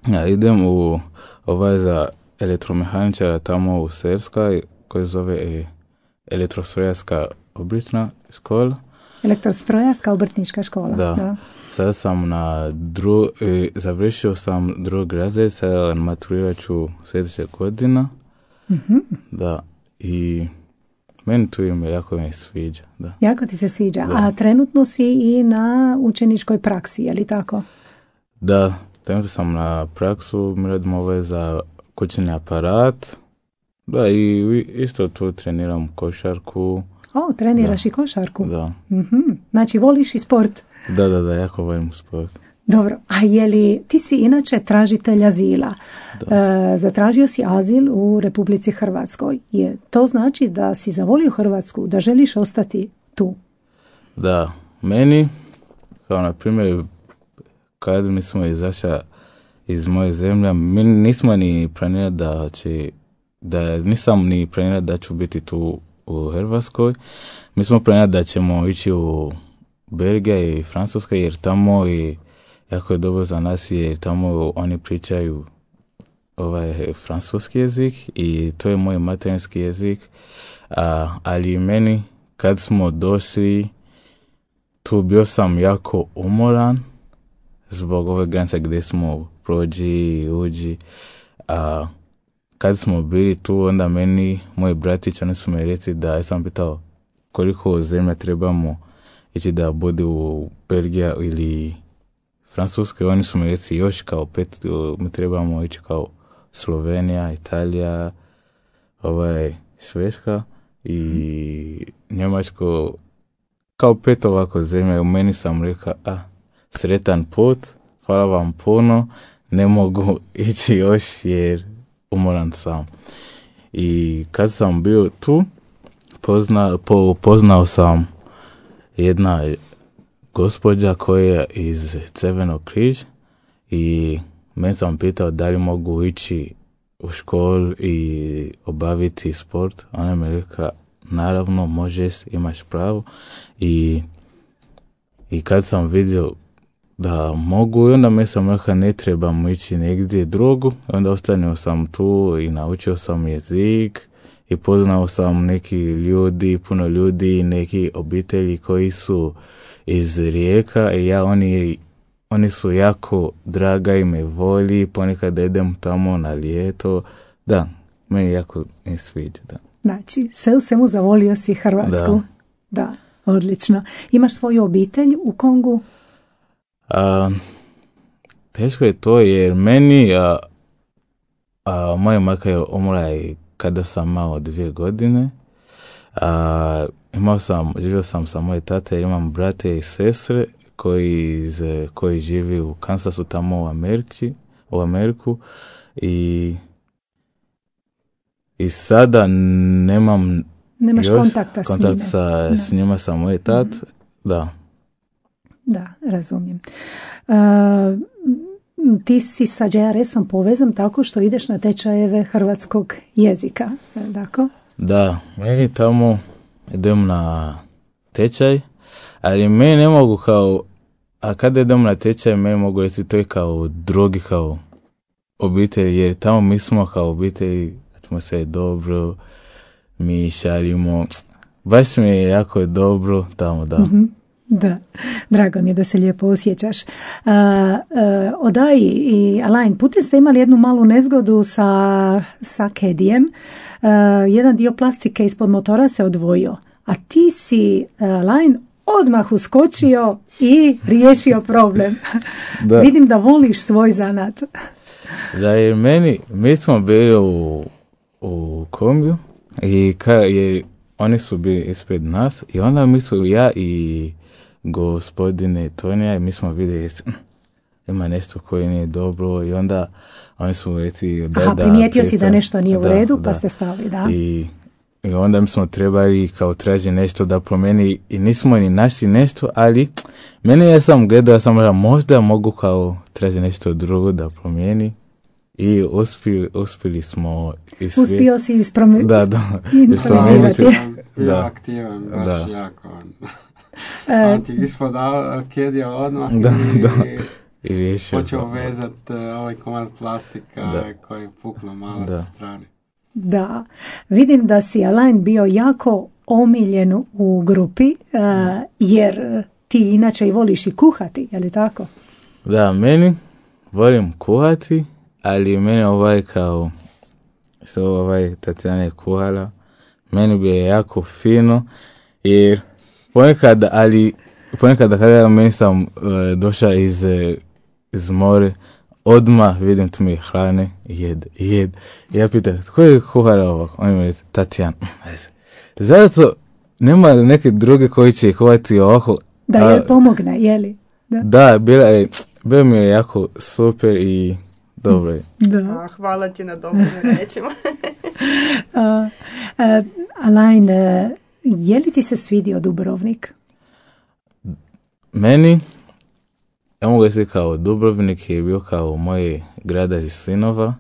Ja idem u ovaj za elektromehaničara tamo u Serskoj, koji zove elektrostrojarska obrtna škola. Elektrostrojarska obrtnička škola. Da. da. Sad sam na dru, završio sam drugi razred, sad maturirat ću sljedeće godina. Mm-hmm. Da. I meni tu ime jako mi sviđa. Da. Jako ti se sviđa. Da. A trenutno si i na učeničkoj praksi, je li tako? Da, trenutno sam na praksu, mi radimo ove za kućni aparat. Da, i isto tu treniram košarku. O, treniraš da. I košarku? Da. Mm-hmm. Znači, voliš i sport? Da, da, da, jako volim sport. Dobro, a je li, ti si inače tražitelj azila. E, zatražio si azil u Republici Hrvatskoj. Je, to znači da si zavolio Hrvatsku, da želiš ostati tu? Da, meni, kao na primjer, kad mi smo izašli iz moje zemlje, mi nismo ni planirali da će, da nisam ni planirali da ću biti tu u Hrvatskoj. Mi smo planirali da ćemo ići u Belgija i Francuska, jer tamo i jako je dobro za nas, jer tamo oni pričaju ovaj francuski jezik i to je moj materinski jezik. A, ali meni, kad smo došli, tu bio sam jako umoran zbog ove granice gdje smo prođi i uđi. A kad smo bili tu, onda meni, moji bratići, oni su mi rekli da, ja sam pitao koliko zemlja trebamo ići da bude u Belgija ili Francuske, oni su mi rekli još kao pet, mi trebamo ići kao Slovenija, Italija, ovaj, Švedska i Njemačko, kao pet ovako zemlja. U meni sam rekao, a, sretan put, hvala vam puno, ne mogu ići još jer umoran sam. I kad sam bio tu, pozna, po, poznao sam jedna gospođa koja je iz Crvenog križ i meni sam pitao da li mogu ići u školu i obaviti sport. Ona mi rekla, naravno možeš, imaš pravo. I, i kad sam vidio da mogu, i onda mi sam rekao ne trebam ići negdje drugo. Onda ostanio sam tu i naučio sam jezik i poznao sam neki ljudi, puno ljudi, neki obitelji koji su iz Rijeka i ja, oni, oni su jako draga i me voli, ponekad idem tamo na ljeto. Da, meni jako ne sviđa, da. Znači, sve u svemu zavolio si Hrvatsku. Da. Da, odlično. Imaš svoju obitelj u Kongu? A, teško je to jer meni, a, a, moja majka je umrla i kada sam imao dvije godine. A, imao sam, živio sam sa moje tate jer imam brate i sestre koji, iz, koji živi u Kansasu tamo u Americi, u Ameriku i i sada nemam Nemaš još kontakta kontakt s, sa, s njima, sa moje tat, mm-hmm. da. Da, razumijem. Uh, ti si sa J R S-om povezan tako što ideš na tečajeve hrvatskog jezika, tako? Da, meni tamo idem na tečaj, ali meni ne mogu kao, a kada idem na tečaj, meni mogu reći to je kao drugi, kao obitelj, jer tamo mi smo kao obitelj, atmosfera je dobro, mi šalimo, baš mi je jako dobro tamo, da. Mm-hmm. Da, drago mi je da se lijepo osjećaš. Uh, uh, Odai i Alain, putem ste imali jednu malu nezgodu sa, sa kedijem. Uh, jedan dio plastike ispod motora se odvojio, a ti si, Alain, odmah uskočio i riješio problem. Da. Vidim da voliš svoj zanat. Da, jer meni, mi smo bili u, u kombiju i ka, jer oni su bili ispred nas i onda mi su, ja i gospodine Tonija, mi smo vidjeli ima nešto koje nije dobro i onda oni su rekli da, Aha, da primijetio si da nešto nije u da, redu, pa da. Ste stali, da. I, i onda mi smo trebali kao traži nešto da promeni i nismo ni našli nešto, ali meni ja sam gledao, ja sam rekao možda mogu kao traži nešto drugo da promijeni i uspili, uspili smo i svi. Uspio si ispromi... da, da. improvizirati. Bio aktivan, baš da. Jako. On ti ispodao kedija odmah da, i, da. I počeo vezati uh, ovaj komad plastika da. Koji je puklo malo sa strane. Da, vidim da si, Alain, bio jako omiljen u grupi, uh, jer ti inače i voliš i kuhati, je li tako? Da, meni volim kuhati, ali meni ovaj kao što ovaj Tatjana je kuhala, meni bi je jako fino, jer ponekad, ali ponekad kada meni sam uh, došao iz, iz more, odmah vidim tu mi hrane, jed, jed. Ja pitam, tko je kuhara ovako? On mi reći, Tatjana. Zato nema neke druge koji će kuhati ovako. Da joj pomogne, jeli? Da, da bila je, bilo mi je jako super i dobro je. Da. A, hvala ti na dobrim rečima. uh, uh, Alain, uh, je li ti se svidio Dubrovnik? Meni, ja mogu reći kao Dubrovnik je bio kao moj grad iz sinova,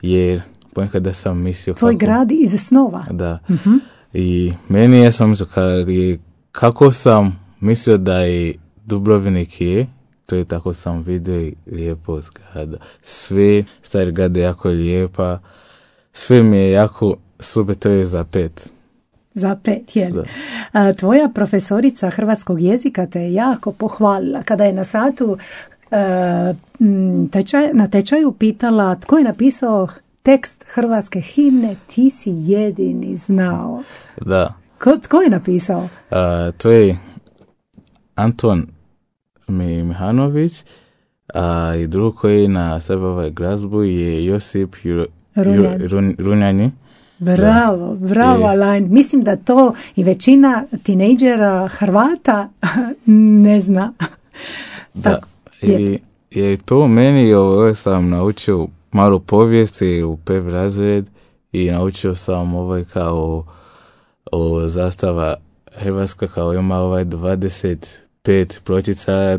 jer ponekad da sam mislio Tvoj kako... grad iz snova? Da. Uh-huh. I meni ja sam mislio kako, kako sam mislio da je Dubrovnik je, to je tako sam vidio i lijepo zgrada. Sve stari grade jako lijepa, sve mi je jako super, to je za pet. Za pet, jel? A, tvoja profesorica hrvatskog jezika te je jako pohvalila kada je na satu a, tečaj, na tečaju pitala tko je napisao tekst hrvatske himne, ti si jedini znao. Da. Ko, tko je napisao? A, to je Anton Mihanović, a i drug koji na sebe ovaj glazbu je Josip Ju, Runjani. Ju, Run, Runjani. Bravo, bravo, Alain. Mislim da to i većina tinejdžera Hrvata ne zna. Da, i je to meni, ovo sam naučio malo povijesti u pev razred i naučio sam ovaj kao o zastava Hrvatska kao ima ovaj dvadeset pet pločica,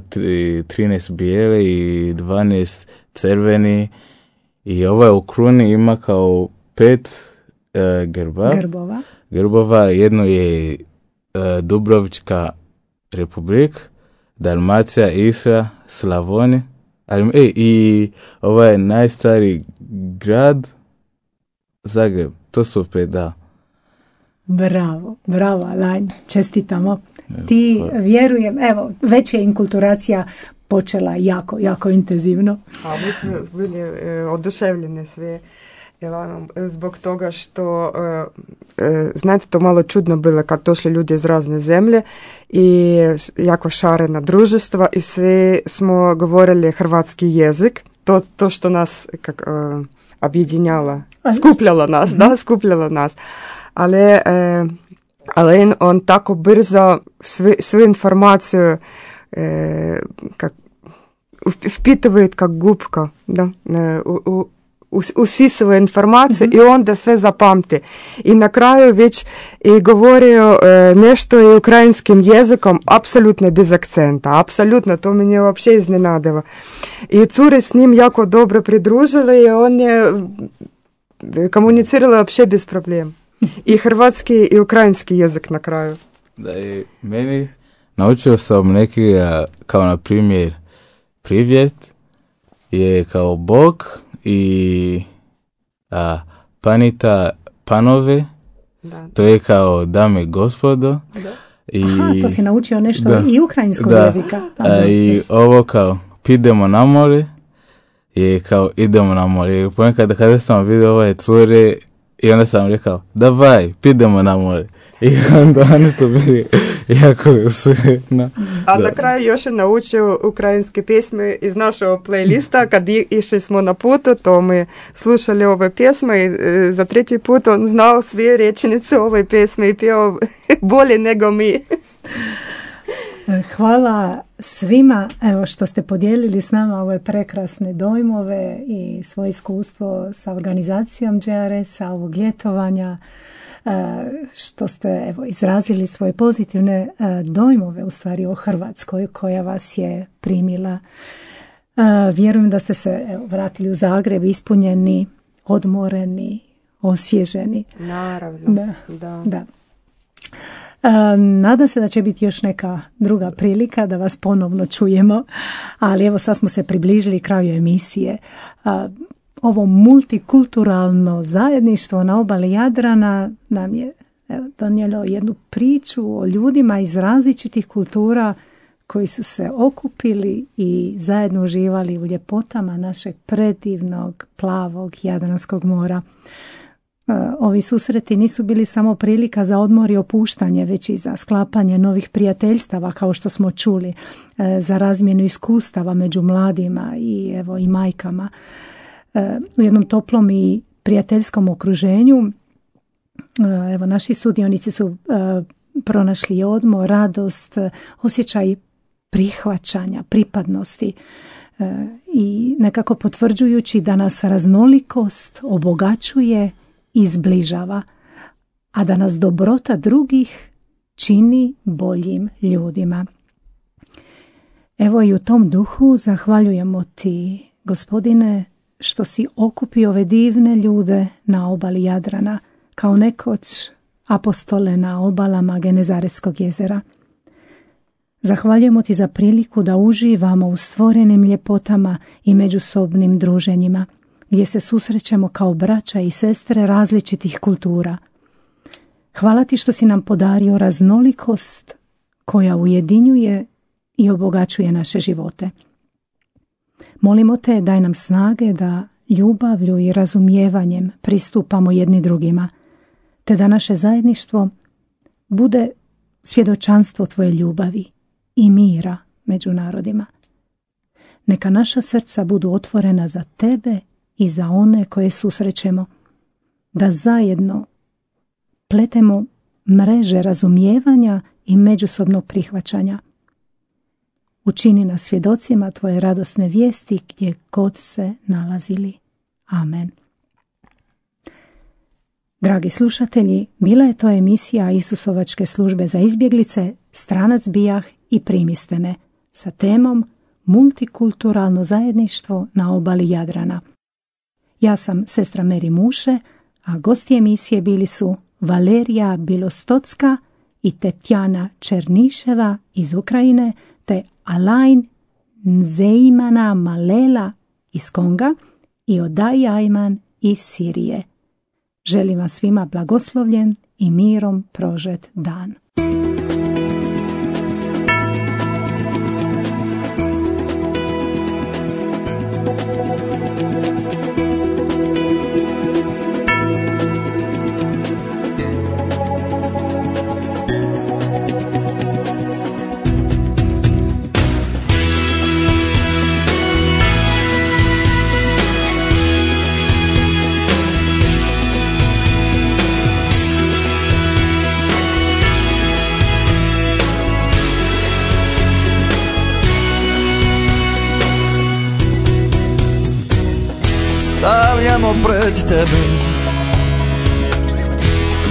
trinaest bijele i dvanaest crveni i ovaj u kruni ima kao pet uh, grba, grbova. Grbova, jedno je uh, Dubrovička republika, Dalmacija, Istra, Slavonija, ali e, i ovaj najstariji grad Zagreb, to su pet, da. Bravo, bravo Alain, čestitamo. Ti vjerujem, evo, već je inkulturacija počela jako, jako intenzivno. A mi smo bili e, oduševljeni sve Elanom, zbog toga što e, e, znate, to malo čudno bilo kad došli ljudi iz razne zemlje i jako šarena druženstva i sve smo govorili hrvatski jezik, to, to što nas kak, e, objedinjala, skupljala nas, mm-hmm. da, skupljala nas. Ali, e, ali on, on tako brzo svi, svu informaciju e, kak, vpituje kak gubka, da, u, u, usisava informaciju mm-hmm. i onda sve zapamti. I na kraju već i govorio e, nešto i ukrajinskim jezikom, apsolutno bez akcenta, apsolutno, to me je uopće iznenadilo. I cure s njim jako dobro pridružile i on je komunicirala uopće bez problema. I hrvatski i ukrajinski jezik na kraju. Da, i meni naučio sam neki, kao na primjer, privjet je kao Bog i a, panita panove, da. To je kao dame gospodo. Da. I, aha, to si naučio nešto da, i ukrajinskog da, jezika. A, i ovo kao pidemo na more je kao idemo na more. Ponekad kada sam vidio ove cure i onda sam rekao, davaj, pidemo na more. I onda oni su bili jako sretno. A na kraju još je naučio ukrajinske pjesme iz našeg playlista. Kad išli smo na putu, to mi slušali ove pjesme i e, za treći put on znao sve rečenice ove pjesme i pio bolje nego mi. Hvala svima evo, što ste podijelili s nama ove prekrasne dojmove i svoje iskustvo sa organizacijom J R S-a ovog ljetovanja, što ste evo, izrazili svoje pozitivne dojmove u stvari o Hrvatskoj koja vas je primila. Vjerujem da ste se evo, vratili u Zagreb ispunjeni, odmoreni, osvježeni. Naravno, da. da. da. Nadam se da će biti još neka druga prilika da vas ponovno čujemo, ali evo sad smo se približili kraju emisije. Ovo multikulturalno zajedništvo na obali Jadrana nam je evo, donijelo jednu priču o ljudima iz različitih kultura koji su se okupili i zajedno uživali u ljepotama našeg predivnog plavog Jadranskog mora. Ovi susreti nisu bili samo prilika za odmor i opuštanje, već i za sklapanje novih prijateljstava, kao što smo čuli, za razmjenu iskustava među mladima i, evo, i majkama. U jednom toplom i prijateljskom okruženju evo, naši sudionici su pronašli odmor, radost, osjećaj prihvaćanja, pripadnosti i nekako potvrđujući da nas raznolikost obogaćuje i zbližava, a da nas dobrota drugih čini boljim ljudima. Evo i u tom duhu zahvaljujemo ti, Gospodine, što si okupio ove divne ljude na obali Jadrana, kao nekoć apostole na obalama Genezareskog jezera. Zahvaljujemo ti za priliku da uživamo u stvorenim ljepotama i međusobnim druženjima, gdje se susrećemo kao braća i sestre različitih kultura. Hvala ti što si nam podario raznolikost koja ujedinjuje i obogaćuje naše živote. Molimo te, daj nam snage da ljubavlju i razumijevanjem pristupamo jedni drugima, te da naše zajedništvo bude svjedočanstvo tvoje ljubavi i mira među narodima. Neka naša srca budu otvorena za tebe i za one koje susrećemo, da zajedno pletemo mreže razumijevanja i međusobnog prihvaćanja. Učini nas svjedocima tvoje radosne vijesti gdje god se nalazili. Amen. Dragi slušatelji, bila je to emisija Isusovačke službe za izbjeglice Stranac bijah i primiste me sa temom Multikulturalno zajedništvo na obali Jadrana. Ja sam sestra Meri Muše, a gosti emisije bili su Valerija Bilostocka i Tetjana Černiševa iz Ukrajine, te Alain Nzeimana Malela iz Konga i Odaj Ajman iz Sirije. Želim vam svima blagoslovljen i mirom prožet dan. Stavljamo pred tebe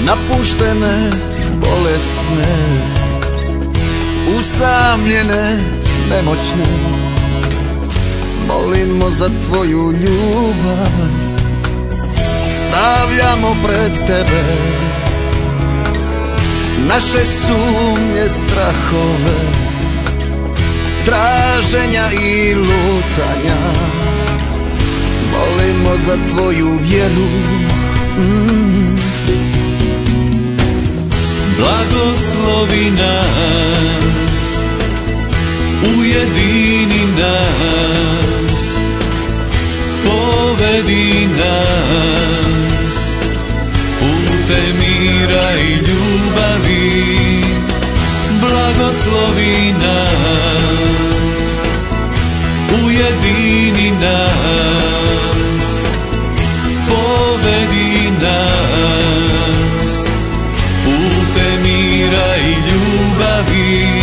napuštene, bolesne, usamljene, nemoćne. Molimo za tvoju ljubav. Stavljamo pred tebe naše sumnje, strahove, traženja i lutanja. Molimo za tvoju vjeru. mm. Blagoslovi nas, ujedini nas, povedi nas putem mira i ljubavi. Blagoslovi nas, ujedini nas, povedi nas putem mira i ljubavi.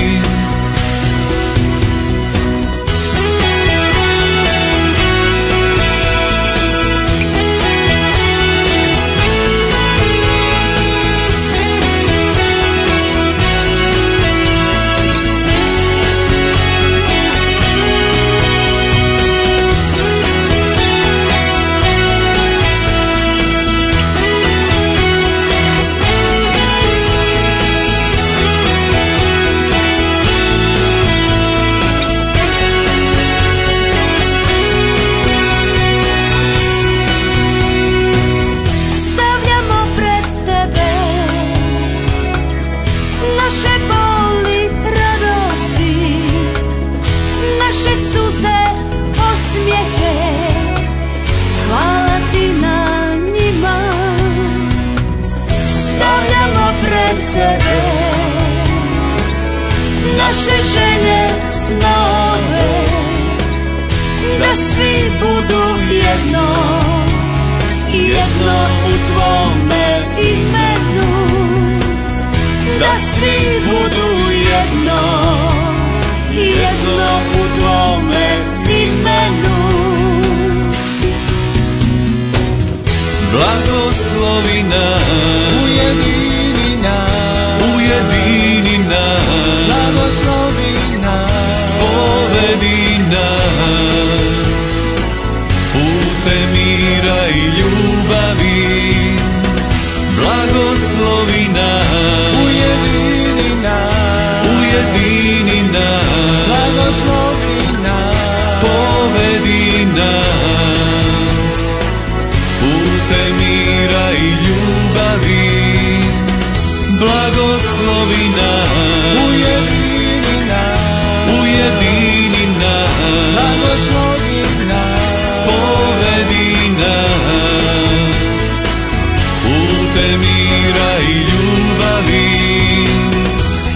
Naše želje, snove, da svi budu jedno, jedno u tvome imenu. Da svi budu jedno, jedno u tvome imenu. Blagoslovi nas, ujedini nas, ujedini nas, blagoslovi nas, povedi nas putem mira i ljubavi. Blagoslovi nas, ujedini nas, ujedini nas, blagoslovi nas, povedi nas putem mira i ljubavi. Blagoslovi nas, ujedini nas, ujedini nas, blagoslovi nas, povedi nas putem mira i ljubavi.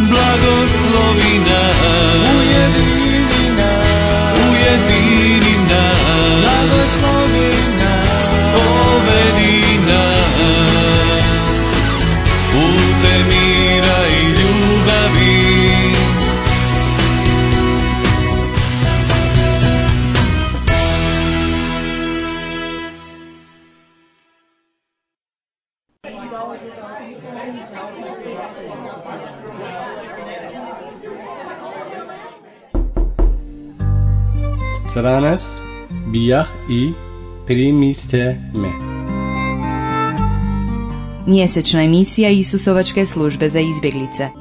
Blagoslovi nas, ujedini nas, ujedini Sranas bijah i primiste me. Mjesečna emisija Isusovačke službe za izbjeglice.